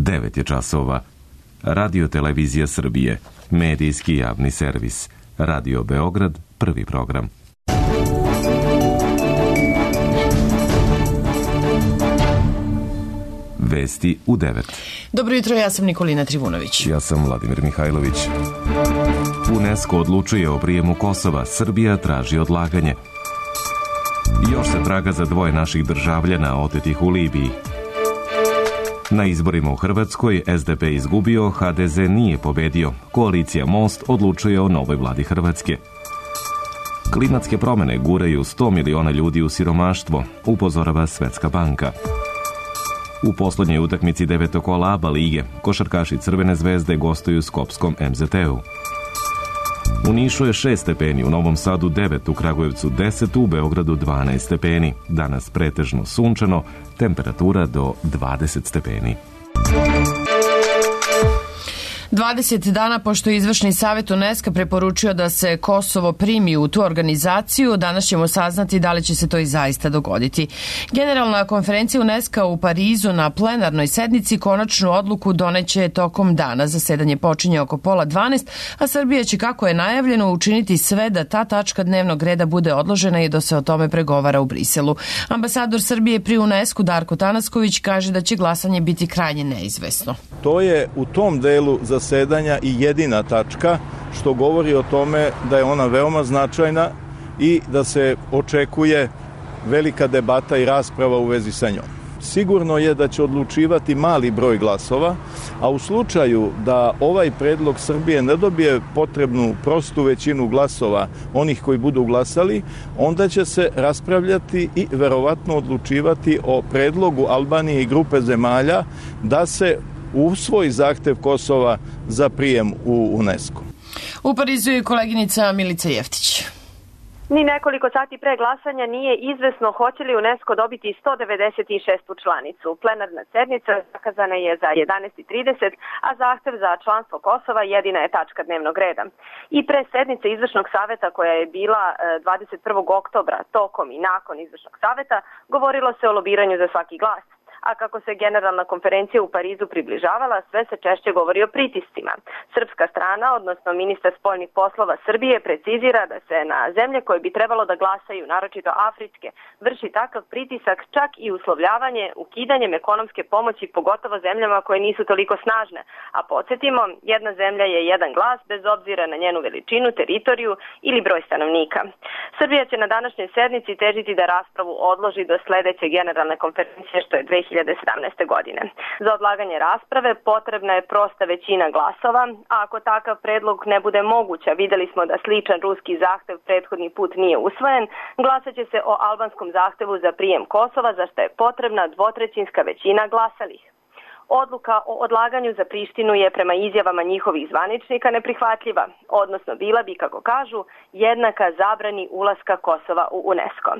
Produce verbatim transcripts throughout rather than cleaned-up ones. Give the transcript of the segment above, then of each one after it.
devet je časova. Radio Televizija Srbije, medijski javni servis. Radio Beograd, prvi program. Vesti u devet. Dobro jutro, ja sam Nikolina Trivunović. Ja sam Vladimir Mihajlović. UNESCO odlučuje o prijemu Kosova, Srbija traži odlaganje. Još se traga za dvoje naših državljana otetih u Libiji. Na izborima u Hrvatskoj es de pe izgubio, ha de ze nije pobedio. Koalicija Most odlučuje o novoj vladi Hrvatske. Klimatske promene guraju sto miliona ljudi u siromaštvo, upozorava Svetska banka. U poslednjoj utakmici devetokola A B A lige, košarkaši Crvene zvezde gostuju Skopskom em ze te u. U Nišu je šest stepeni, u Novom Sadu devet, u Kragujevcu deset, u Beogradu dvanaest stepeni. Danas pretežno sunčano, temperatura do dvadeset stepeni. dvadeset dana pošto je Izvršni savjet UNESCO preporučio da se Kosovo primi u tu organizaciju, danas ćemo saznati da li će se to i zaista dogoditi. Generalna konferencija UNESCO u Parizu na plenarnoj sednici konačnu odluku doneće tokom dana. Zasedanje počinje oko pola dvanaest, a Srbija će, kako je najavljeno, učiniti sve da ta tačka dnevnog reda bude odložena i da se o tome pregovara u Briselu. Ambasador Srbije pri UNESCO Darko Tanasković kaže da će glasanje biti krajnje neizvesno. To je u tom delu zasedanja i jedina tačka, što govori o tome da je ona veoma značajna i da se očekuje velika debata i rasprava u vezi sa njom. Sigurno je da će odlučivati mali broj glasova, a u slučaju da ovaj predlog Srbije ne dobije potrebnu prostu većinu glasova onih koji budu glasali, onda će se raspravljati i verovatno odlučivati o predlogu Albanije i grupe zemalja da se usvoji zahtev Kosova za prijem u UNESCO. U Parizu je koleginica Milica Jeftić. Ni nekoliko sati pre glasanja nije izvesno hoće li UNESCO dobiti sto devedeset šestu članicu. Plenarna sednica zakazana je za jedanaest i trideset, a zahtev za članstvo Kosova jedina je tačka dnevnog reda. I pre sednice Izvršnog saveta koja je bila dvadeset prvog oktobra, tokom i nakon Izvršnog saveta, govorilo se o lobiranju za svaki glas. A kako se generalna konferencija u Parizu približavala, sve se češće govori o pritiscima. Srpska strana, odnosno ministar spoljnih poslova Srbije, precizira da se na zemlje koje bi trebalo da glasaju, naročito afričke, vrši takav pritisak, čak i uslovljavanje ukidanjem ekonomske pomoći, pogotovo zemljama koje nisu toliko snažne. A podsjetimo, jedna zemlja je jedan glas bez obzira na njenu veličinu, teritoriju ili broj stanovnika. Srbija će na današnjoj sednici težiti da raspravu odloži do sledeće generalne konferencije, što je dve hiljade sedamnaeste. godine. Za odlaganje rasprave potrebna je prosta većina glasova, a ako takav predlog ne bude moguć, a videli smo da sličan ruski zahtev prethodni put nije usvojen, glasat će se o albanskom zahtevu za prijem Kosova, za što je potrebna dvotrećinska većina glasalih. Odluka o odlaganju za Prištinu je prema izjavama njihovih zvaničnika neprihvatljiva, odnosno bila bi, kako kažu, jednaka zabrani ulaska Kosova u UNESCO.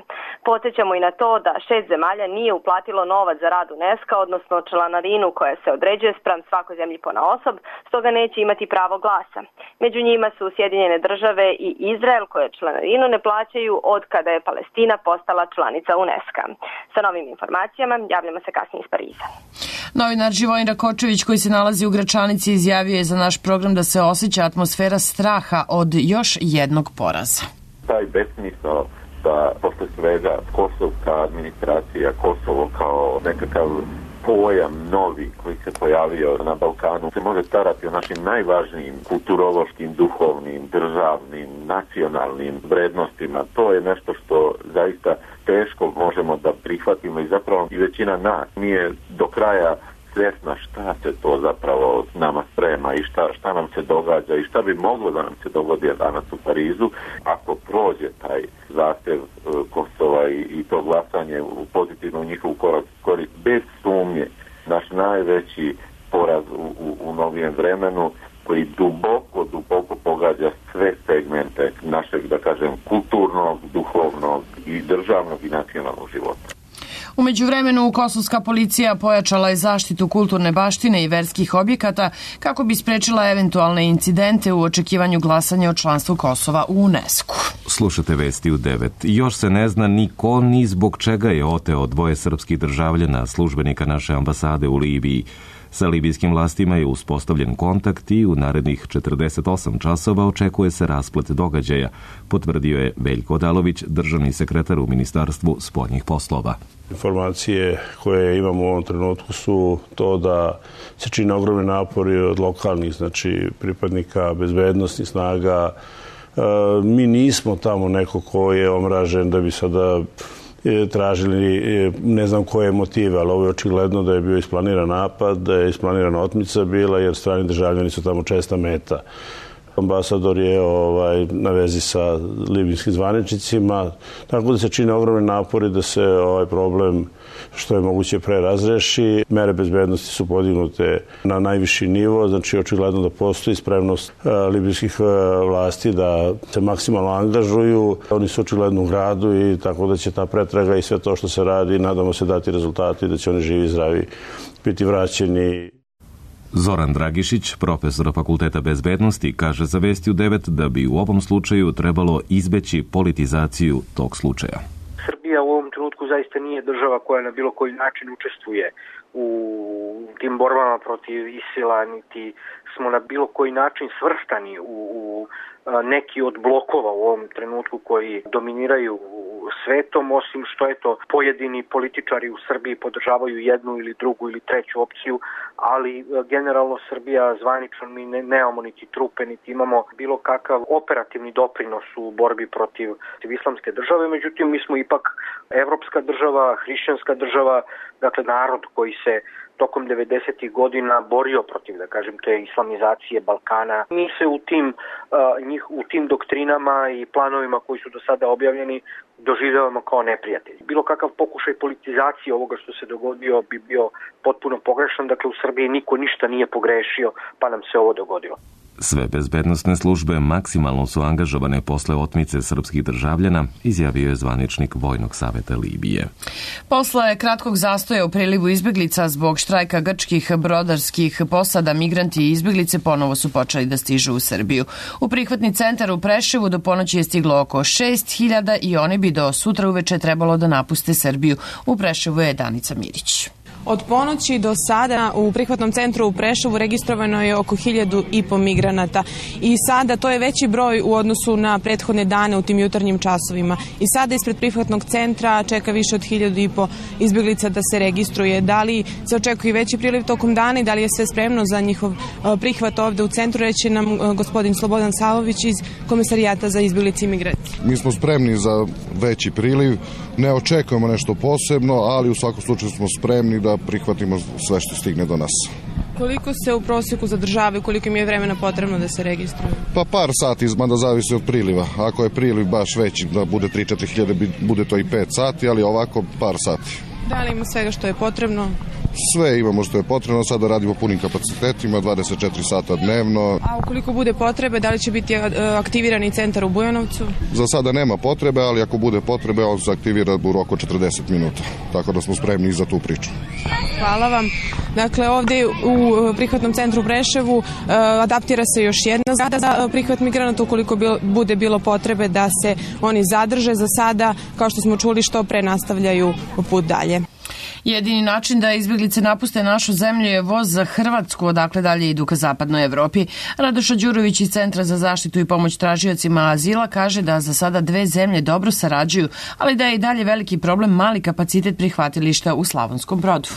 Podsjećamo i na to da šest zemalja nije uplatilo novac za rad UNESCO, odnosno članarinu koja se određuje spram svakoj zemlji ponaosob, stoga neće imati pravo glasa. Među njima su Sjedinjene države i Izrael, koje članarinu ne plaćaju od kada je Palestina postala članica UNESCO. Sa novim informacijama javljamo se kasnije iz Pariza. Novinar Živojin Rakočević, koji se nalazi u Gračanici, izjavio je za naš program da se osjeća atmosfera straha od još jednog poraza. Taj besmisao da posle svega kosovska administracija, Kosovo kao nekakav pojam novi koji se pojavio na Balkanu se može starati o našim najvažnijim kulturološkim, duhovnim, državnim, nacionalnim vrednostima. To je nešto što zaista teško možemo da prihvatimo i zapravo i većina nas nije do kraja svjesna šta se to zapravo nama sprema i šta, šta nam se događa i šta bi moglo da nam se dogodi danas u Parizu ako prođe taj zahtev Kosova i, i to glasanje u pozitivnu njihovu korist. Bez sumnje, naš najveći poraz u, u, u novijem vremenu koji duboko, duboko pogađa sve segmente našeg, da kažem, kulturnog, duhovnog i državnog i nacionalnog života. U međuvremenu, kosovska policija pojačala je zaštitu kulturne baštine i verskih objekata kako bi sprečila eventualne incidente u očekivanju glasanja o članstvu Kosova u UNESCO. Slušate vesti u devet. Još se ne zna ni ko ni zbog čega je oteo dvoje srpskih državljana, službenika naše ambasade u Libiji. Sa libijskim vlastima je uspostavljen kontakt i u narednih četrdeset osam časova očekuje se rasplet događaja, potvrdio je Veljko Odalović, državni sekretar u Ministarstvu spoljnih poslova. Informacije koje imamo u ovom trenutku su to da se čine ogromni napori od lokalnih, znači pripadnika bezbednosnih snaga. Mi nismo tamo neko ko je omražen da bi sada tražili ne znam koje motive, ali ovo je očigledno da je bio isplaniran napad, da je isplanirana otmica bila, jer strani državljani su tamo česta meta. Ambasador je ovaj, na vezi sa libijskim zvaničnicima, tako da se čine ogromni napori da se ovaj problem što je moguće pre razreši. Mere bezbednosti su podignute na najviši nivo, znači očigledno da postoji spremnost libijskih vlasti da se maksimalno angažuju. Oni su očigledno u gradu i tako da će ta pretraga i sve to što se radi, nadamo se dati rezultati, da će oni živi i zdravi biti vraćeni. Zoran Dragišić, profesor Fakulteta bezbednosti, kaže za Vesti u devet da bi u ovom slučaju trebalo izbeći politizaciju tog slučaja. Srbija u ovom trenutku zaista nije država koja na bilo koji način učestvuje u tim borbama protiv ISIL-a, niti smo na bilo koji način svrstani u, u neki od blokova u ovom trenutku koji dominiraju svetom, osim što je to pojedini političari u Srbiji podržavaju jednu ili drugu ili treću opciju, ali generalno Srbija zvanično mi ne, nemamo niti trupe, niti imamo bilo kakav operativni doprinos u borbi protiv islamske države. Međutim, mi smo ipak evropska država, hrišćanska država, dakle narod koji se tokom devedesetih godina borio protiv, da kažem, te islamizacije Balkana. Mi se u tim, uh, njih, u tim doktrinama i planovima koji su do sada objavljeni doživljavamo kao neprijatelji. Bilo kakav pokušaj politizacije ovoga što se dogodio bi bio potpuno pogrešan. Dakle, u Srbiji niko ništa nije pogrešio, pa nam se ovo dogodilo. Sve bezbednosne službe maksimalno su angažovane posle otmice srpskih državljana, izjavio je zvaničnik Vojnog saveta Libije. Posle kratkog zastoja u prilivu izbeglica zbog štrajka grčkih brodarskih posada, migranti i izbeglice ponovo su počeli da stižu u Srbiju. U prihvatni centar u Preševu do ponoći je stiglo oko šest hiljada i oni bi do sutra uveče trebalo da napuste Srbiju. U Preševu je Danica Mirić. Od ponoći do sada u prihvatnom centru u Preševu registrovano je oko hiljadu i po migranata i sada to je veći broj u odnosu na prethodne dane u tim jutarnjim časovima. I sada ispred prihvatnog centra čeka više od hiljadu i po izbjeglica da se registruje. Da li se očekuje veći priliv tokom dana i da li je sve spremno za njihov prihvat ovde u centru, reći nam gospodin Slobodan Savović iz Komesarijata za izbjeglice i migracije. Mi smo spremni za veći priliv, ne očekujemo nešto posebno, ali u svakom slučaju smo spremni da prihvatimo sve što stigne do nas. Koliko se u prosjeku zadržavaju, koliko im je vremena potrebno da se registruju? Pa par sati, mada zavisi od priliva. Ako je priliv baš veći, da bude tri do četiri hiljade, bude to i pet sati, ali ovako par sati. Da li ima svega što je potrebno? Sve imamo što je potrebno, sada radimo punim kapacitetima, dvadeset četiri sata dnevno. A ukoliko bude potrebe, da li će biti aktivirani centar u Bujanovcu? Za sada nema potrebe, ali ako bude potrebe, on se aktivira u roku četrdeset minuta. Tako da smo spremni za tu priču. Hvala vam. Dakle, ovdje u prihvatnom centru u Preševu adaptira se još jedna zgrada za prihvat migranata ukoliko bude bilo potrebe da se oni zadrže. Za sada, kao što smo čuli, što pre nastavljaju put dalje. Jedini način da izbjeglice napuste našu zemlju je voz za Hrvatsku, odakle dalje idu ka zapadnoj Evropi. Radoša Đurović iz Centra za zaštitu i pomoć tražiocima azila kaže da za sada dve zemlje dobro sarađuju, ali da je i dalje veliki problem mali kapacitet prihvatilišta u Slavonskom Brodu.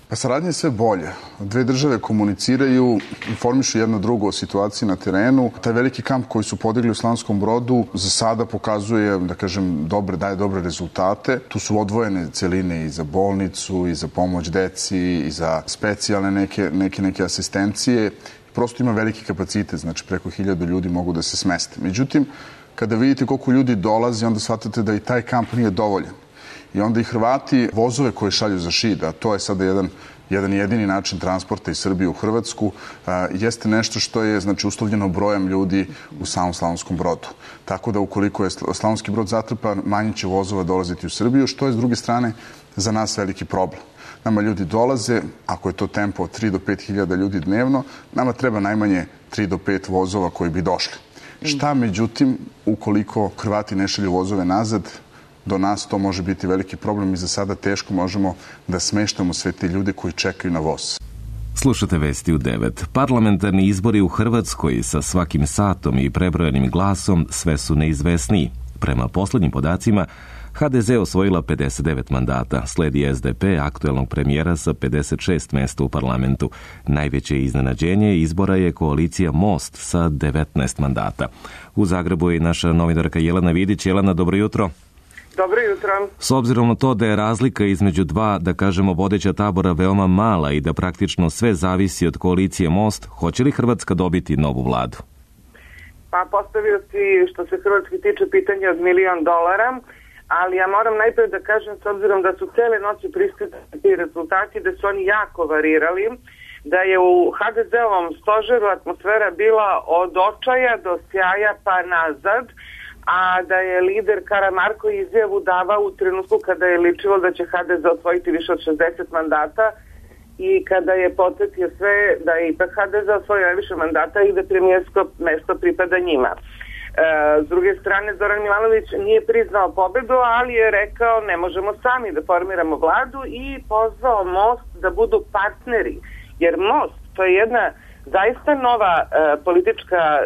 Pa saradnje je sve bolje. Dve države komuniciraju, informišu jedno drugo o situaciji na terenu. Taj veliki kamp koji su podigli u Slavonskom Brodu za sada pokazuje, da kažem, dobre, daje dobre rezultate. Tu su odvojene celine i za bolnicu, i za pomoć deci, i za specijalne neke, neke, neke asistencije. Prosto ima veliki kapacitet, znači preko hiljadu ljudi mogu da se smeste. Međutim, kada vidite koliko ljudi dolazi, onda shvatate da i taj kamp nije dovoljan. I onda i Hrvati vozove koje šalju za Šid, a to je sada jedan, jedan jedini način transporta iz Srbije u Hrvatsku, a, jeste nešto što je znači, uslovljeno brojem ljudi u samom Slavonskom Brodu. Tako da ukoliko je Slavonski Brod zatrpan, manje će vozova dolaziti u Srbiju, što je s druge strane za nas veliki problem. Nama ljudi dolaze, ako je to tempo od tri do pet hiljada ljudi dnevno, nama treba najmanje tri do pet vozova koji bi došli. Šta međutim, ukoliko Hrvati ne šalju vozove nazad, do nas to može biti veliki problem i za sada teško možemo da smeštamo sve te ljude koji čekaju na voz. Slušate vesti u devet. Parlamentarni izbori u Hrvatskoj sa svakim satom i prebrojanim glasom sve su neizvesniji. Prema poslednjim podacima, ha de ze osvojila pedeset devet mandata, sledi es de pe aktuelnog premijera sa pedeset šest mesta u parlamentu. Najveće iznenađenje izbora je koalicija Most sa devetnaest mandata. U Zagrebu je naša novinarka Jelena Vidić. Jelena, dobro jutro. Dobro jutro. S obzirom na to da je razlika između dva, da kažemo, vodeća tabora veoma mala i da praktično sve zavisi od koalicije Most, hoće li Hrvatska dobiti novu vladu? Pa postavio si, što se Hrvatski tiče, pitanje od milion dolara, ali ja moram najprije da kažem, s obzirom da su cele noći pristigli rezultati, da su oni jako varirali, da je u ha de ze-ovom stožeru atmosfera bila od očaja do sjaja pa nazad, a da je lider Karamarko izjavu davao u trenutku kada je ličilo da će ha de ze osvojiti više od šezdeset mandata i kada je podsjetio sve da je ipak ha de ze osvojio najviše mandata i da premijersko mesto pripada njima. E, s druge strane, Zoran Milanović nije priznao pobedu, ali je rekao ne možemo sami da formiramo vladu i pozvao Most da budu partneri, jer Most to je jedna zaista nova e, politička e,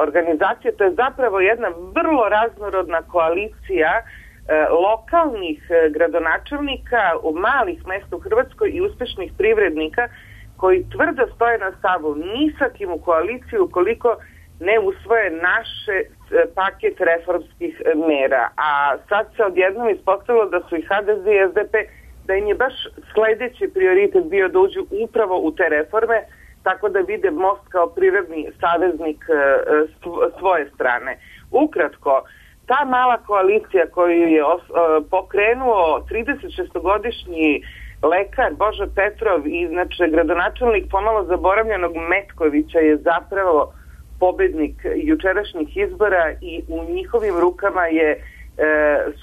organizacija, to je zapravo jedna vrlo raznorodna koalicija e, lokalnih e, gradonačelnika u malih mesta u Hrvatskoj i uspešnih privrednika koji tvrdo stoje na stavu ni sa kim u koaliciju ukoliko ne usvoje naše e, paket reformskih e, mera. A sad se odjednom ispostavilo da su i ha de ze i es de pe, da im je baš sledeći prioritet bio da uđu upravo u te reforme, tako da vide Most kao prirodni saveznik svoje strane. Ukratko, ta mala koalicija koju je pokrenuo trideset šestogodišnji lekar Božo Petrov i znači gradonačelnik pomalo zaboravljenog Metkovića je zapravo pobednik jučerašnjih izbora i u njihovim rukama je e,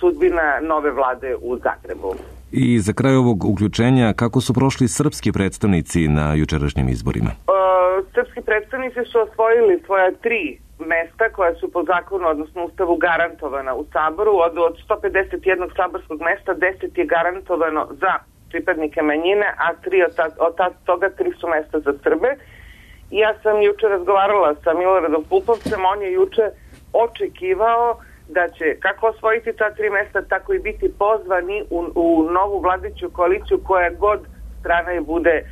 sudbina nove vlade u Zagrebu. I za kraj ovog uključenja, kako su prošli srpski predstavnici na jučerašnjim izborima? E, srpski predstavnici su osvojili svoja tri mesta koja su po zakonu, odnosno ustavu, garantovana u Saboru. Od, od sto pedeset jednog saborskog mesta deset je garantovano za pripadnike manjine, a tri od, ta, od ta, toga tri su mesta za Srbe. I ja sam juče razgovarala sa Miloradom Pupovcem, on je juče očekivao da će kako osvojiti ta tri mesta, tako i biti pozvani u, u novu vladiću koaliciju koja god strana je bude e,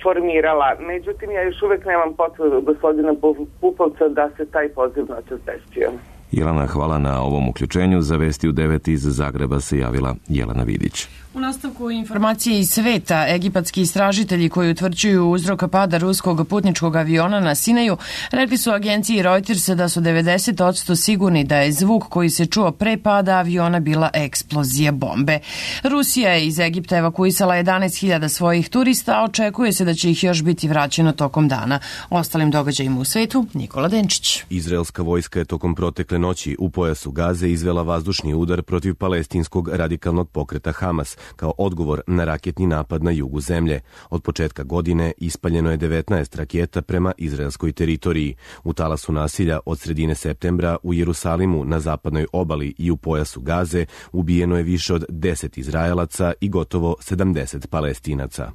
formirala. Međutim, ja još uvek nemam potvrdu gospodina Pupovca da se taj poziv noćas desio. Jelena, hvala na ovom uključenju. Za vesti u devet iz Zagreba se javila Jelena Vidić. U nastavku informacije iz sveta, egipatski istražitelji koji utvrđuju uzrok pada ruskog putničkog aviona na Sinaju rekli su agenciji Reuters da su devedeset posto sigurni da je zvuk koji se čuo pre pada aviona bila eksplozija bombe. Rusija je iz Egipta evakuisala jedanaest hiljada svojih turista, a očekuje se da će ih još biti vraćeno tokom dana. O ostalim događajima u svetu, Nikola Denčić. Izraelska vojska je tokom protekle noći u pojasu Gaze izvela vazdušni udar protiv palestinskog radikalnog pokreta Hamas, kao odgovor na raketni napad na jugu zemlje. Od početka godine ispaljeno je devetnaest raketa prema izraelskoj teritoriji. U talasu nasilja od sredine septembra u Jerusalimu, na zapadnoj obali i u pojasu Gaze ubijeno je više od deset Izraelaca i gotovo sedamdeset Palestinaca.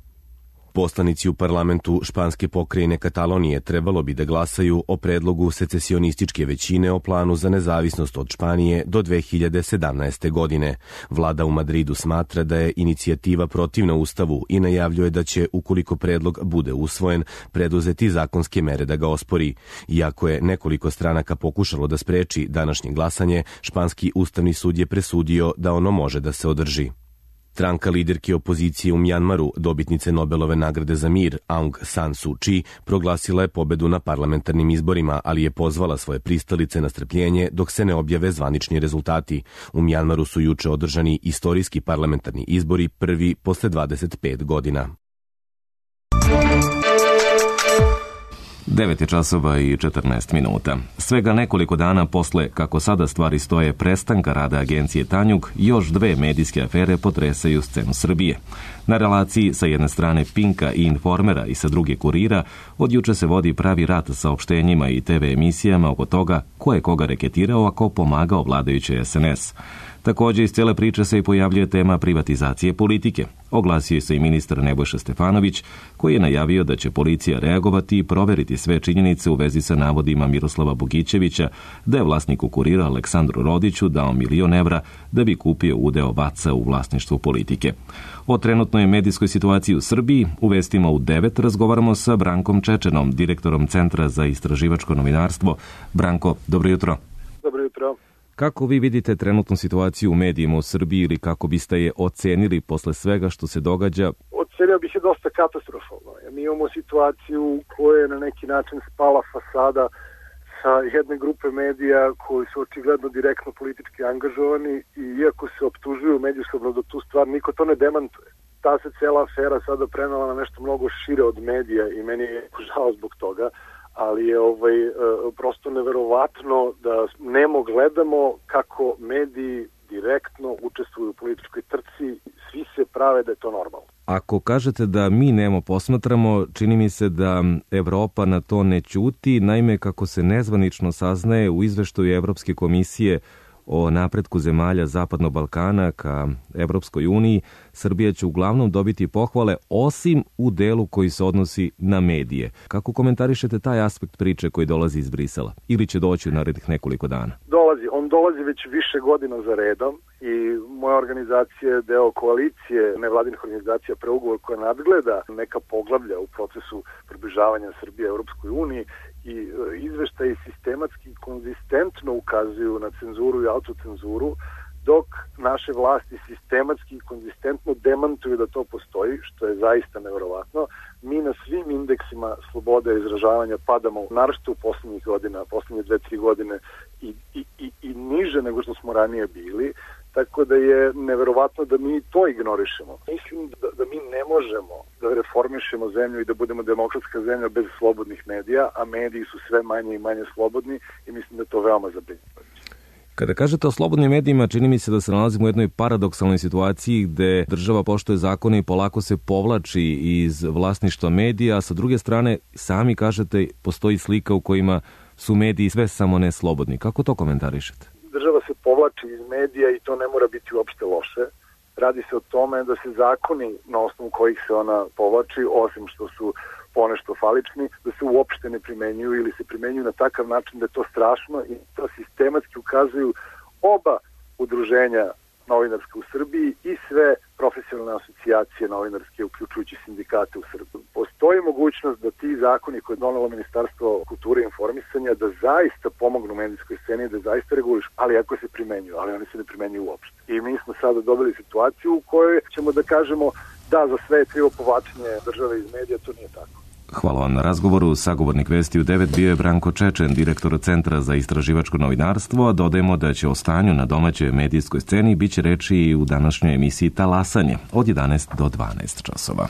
Poslanici u parlamentu španske pokrajine Katalonije trebalo bi da glasaju o predlogu secesionističke većine o planu za nezavisnost od Španije do dve hiljade sedamnaeste. godine. Vlada u Madridu smatra da je inicijativa protivna Ustavu i najavljuje da će, ukoliko predlog bude usvojen, preduzeti zakonske mere da ga ospori. Iako je nekoliko stranaka pokušalo da spreči današnje glasanje, španski ustavni sud je presudio da ono može da se održi. Stranka liderke opozicije u Mjanmaru, dobitnice Nobelove nagrade za mir, Aung San Suu Kyi, proglasila je pobedu na parlamentarnim izborima, ali je pozvala svoje pristalice na strpljenje dok se ne objave zvanični rezultati. U Mjanmaru su juče održani istorijski parlamentarni izbori, prvi posle dvadeset pet godina. devet je časova i četrnaest minuta. Svega nekoliko dana posle, kako sada stvari stoje, prestanka rada agencije Tanjug, još dve medijske afere potresaju scenu Srbije. Na relaciji sa jedne strane Pinka i Informera i sa druge Kurira, od juče se vodi pravi rat sa opštenjima i te ve emisijama oko toga ko je koga reketirao, a ko pomagao vladajuće es en es. Također iz cijele priče se i pojavljuje tema privatizacije politike. Oglasio se i ministar Nebojša Stefanović, koji je najavio da će policija reagovati i proveriti sve činjenice u vezi sa navodima Miroslava Bogićevića da je vlasniku Kurira Aleksandru Rodiću dao milion evra da bi kupio udeo Vaca u vlasništvu politike. O trenutnoj medijskoj situaciji u Srbiji u vestima u devet razgovaramo sa Brankom Čečenom, direktorom Centra za istraživačko novinarstvo. Branko, dobro jutro. Dobro jutro. Kako vi vidite trenutnu situaciju u medijima u Srbiji ili kako biste je ocenili posle svega što se događa? Ocenio bih je dosta katastrofalno. Mi imamo situaciju u kojoj je na neki način spala fasada sa jedne grupe medija koji su očigledno direktno politički angažovani i iako se optužuju međusobno da tu stvar niko to ne demantuje. Ta se cela afera sada prenala na nešto mnogo šire od medija i meni je žao zbog toga, ali je ovaj prosto neverovatno da nemo gledamo kako mediji direktno učestvuju u političkoj trci, svi se prave da je to normalno. Ako kažete da mi nemo posmatramo, čini mi se da Evropa na to ne ćuti, naime kako se nezvanično saznaje u izveštaju Evropske komisije o napretku zemalja Zapadnog Balkana ka Evropskoj uniji, Srbija će uglavnom dobiti pohvale, osim u delu koji se odnosi na medije. Kako komentarišete taj aspekt priče koji dolazi iz Brisela? Ili će doći u narednih nekoliko dana? Dolazi. On dolazi već više godina za redom i moja organizacija je deo koalicije nevladinih organizacija Preugovor koja nadgleda neka poglavlja u procesu približavanja Srbije Evropskoj uniji i izveštaji sistematski konzistentno ukazuju na cenzuru i autocenzuru, dok naše vlasti sistematski i konzistentno demantuju da to postoji, što je zaista neverovatno. Mi na svim indeksima slobode izražavanja padamo, naročito u poslednjih godina, poslednje dve, tri godine i, i, i, i niže nego što smo ranije bili, tako da je neverovatno da mi to ignorišemo. Mislim da, da mi ne možemo da reformišemo zemlju i da budemo demokratska zemlja bez slobodnih medija, a mediji su sve manje i manje slobodni i mislim da je to veoma zabrinjavajuće. Kada kažete o slobodnim medijima, čini mi se da se nalazimo u jednoj paradoksalnoj situaciji gde država poštuje zakone i polako se povlači iz vlasništva medija, a sa druge strane, sami kažete, postoji slika u kojima su mediji sve samo ne slobodni. Kako to komentarišete? Država se povlači iz medija i to ne mora biti uopšte loše. Radi se o tome da se zakoni na osnovu kojih se ona povlači, osim što su ponešto falični, da se uopšte ne primenjuju ili se primenjuju na takav način da je to strašno i to sistematski ukazuju oba udruženja novinarske u Srbiji i sve profesionalne asocijacije novinarske, uključujući sindikate u Srbiji. Postoji mogućnost da ti zakoni koje je donelo Ministarstvo kulture i informisanja da zaista pomognu medijskoj sceni, da zaista regulišu, ali ako se primenjuju, ali oni se ne primenjuju uopšte. I mi smo sada dobili situaciju u kojoj ćemo da kažemo da za sve je krivo povlačenje države iz medija, to nije tako. Hvala vam na razgovoru. Sagovornik Vesti u devet bio je Branko Čečen, direktor Centra za istraživačko novinarstvo. Dodajemo da će o stanju na domaćoj medijskoj sceni biće reči i u današnjoj emisiji Talasanje od jedanaest do dvanaest časova.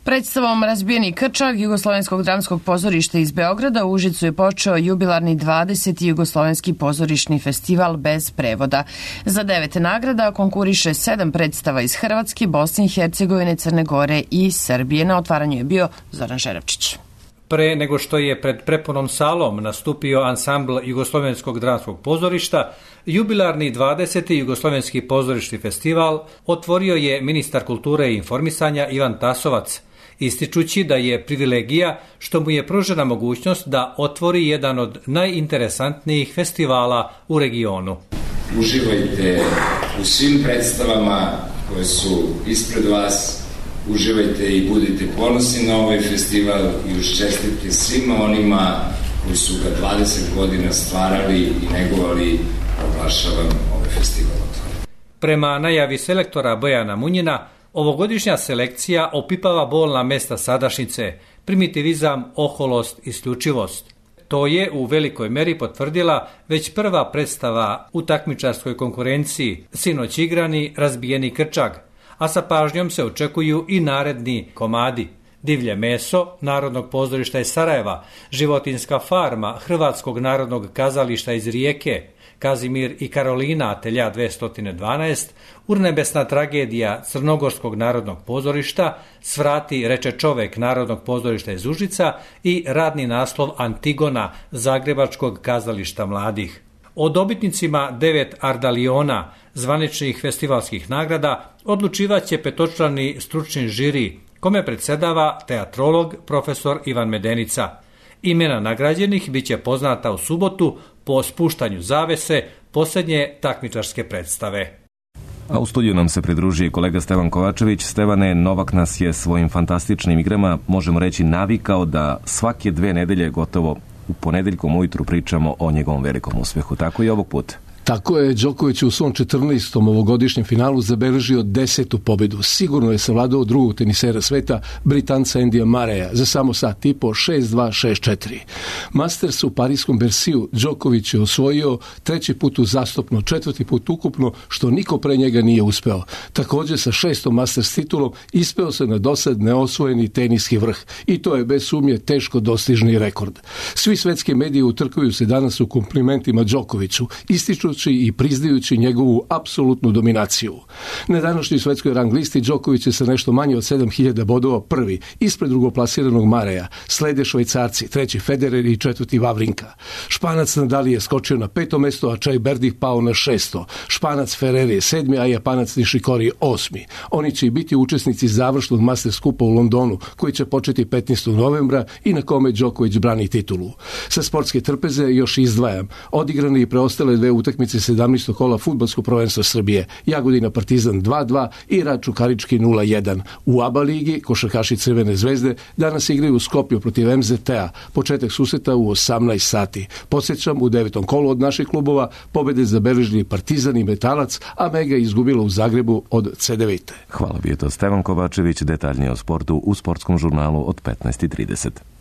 Predstavom Razbijeni krčak Jugoslovenskog dramskog pozorišta iz Beograda u Užicu je počeo jubilarni dvadeseti Jugoslovenski pozorišni festival bez prevoda. Za devet nagrada konkuriše sedam predstava iz Hrvatske, Bosne i Hercegovine, Crne Gore i Srbije. Na otvaranju je bio Zoran Žerapčić. Pre nego što je pred prepunom salom nastupio ansambl Jugoslovenskog dramskog pozorišta, jubilarni dvadeseti Jugoslovenski pozorišni festival otvorio je ministar kulture i informisanja Ivan Tasovac, ističući da je privilegija što mu je pružena mogućnost da otvori jedan od najinteresantnijih festivala u regionu. Uživajte u svim predstavama koje su ispred vas, uživajte i budite ponosni na ovaj festival i uz čestitke svima onima koji su ga dvadeset godina stvarali i negovali, proglašavam ovaj festival otvoren. Prema najavi selektora Bojana Munjina, ovogodišnja selekcija opipava bolna mesta sadašnjice, primitivizam, oholost, isključivost. To je u velikoj meri potvrdila već prva predstava u takmičarskoj konkurenciji, sinoć igrani Razbijeni krčak, a sa pažnjom se očekuju i naredni komadi. Divlje meso Narodnog pozorišta iz Sarajeva, Životinska farma Hrvatskog narodnog kazališta iz Rijeke, Kazimir i Karolina Atelja dvesta dvanaest, Urnebesna tragedija Crnogorskog narodnog pozorišta, Svrati reče čovek Narodnog pozorišta iz Užica i radni naslov Antigona Zagrebačkog kazališta mladih. O dobitnicima devet Ardaliona, zvaničnih festivalskih nagrada, odlučivaće petočlani stručni žiri, kome predsedava teatrolog profesor Ivan Medenica. Imena nagrađenih biće poznata u subotu po spuštanju zavese posljednje takmičarske predstave. A u studiju nam se pridružuje kolega Stevan Kovačević. Stevane, Novak nas je svojim fantastičnim igrama, možemo reći, navikao da svake dve nedelje gotovo u ponedeljkom ujutru pričamo o njegovom velikom uspjehu. Tako i ovog puta. Tako je, Đoković u svom četrnaestom ovogodišnjem finalu zabeležio desetu pobedu. Sigurno je savladao drugog tenisera sveta, Britanca Endija Mareja, za samo sat i po šest dva šest četiri. Masters u parijskom Bersiju Đoković je osvojio treći put uzastopno, četvrti put ukupno, što niko pre njega nije uspeo. Također sa šestom Masters titulom ispeo se na dosad neosvojeni teniski vrh i to je bez sumnje teško dostižni rekord. Svi svetski mediji utrkuju se danas u komplimentima Đokoviću, ističu i priznajući njegovu apsolutnu dominaciju. Na današnjoj svetskoj rang listi Đoković je sa nešto manje od sedam hiljada bodova prvi, ispred drugoplasiranog Mareja. Slede Švajcarci, treći Federer i četvrti Vavrinka. Španac Nadal je skočio na peto mesto, a Čaj Berdih pao na šesto. Španac Ferrer je sedmi, a Japanac Nishikori osmi. Oni će biti učesnici završnog Masters kupa u Londonu, koji će početi petnaestog novembra i na kome Đoković brani titulu. Sa sportske trpeze još izdvajam odigrane i preostale dve utakmice sedamnaestog kola fudbalskog prvenstva Srbije. Jagodina Partizan dva dva i Rad Čukarički nula jedan. U A B A ligi košarkaši Crvene zvezde danas igraju u Skopju protiv M Z T-a. Početak susreta u osamnaest sati. Podsjećam, u devetom kolu od naših klubova pobede zabeležili Partizan i Metalac, a Mega izgubila u Zagrebu od C devet. Hvala, bio to Stevan Kovačević, detaljnije o sportu u sportskom žurnalu od petnaest i trideset.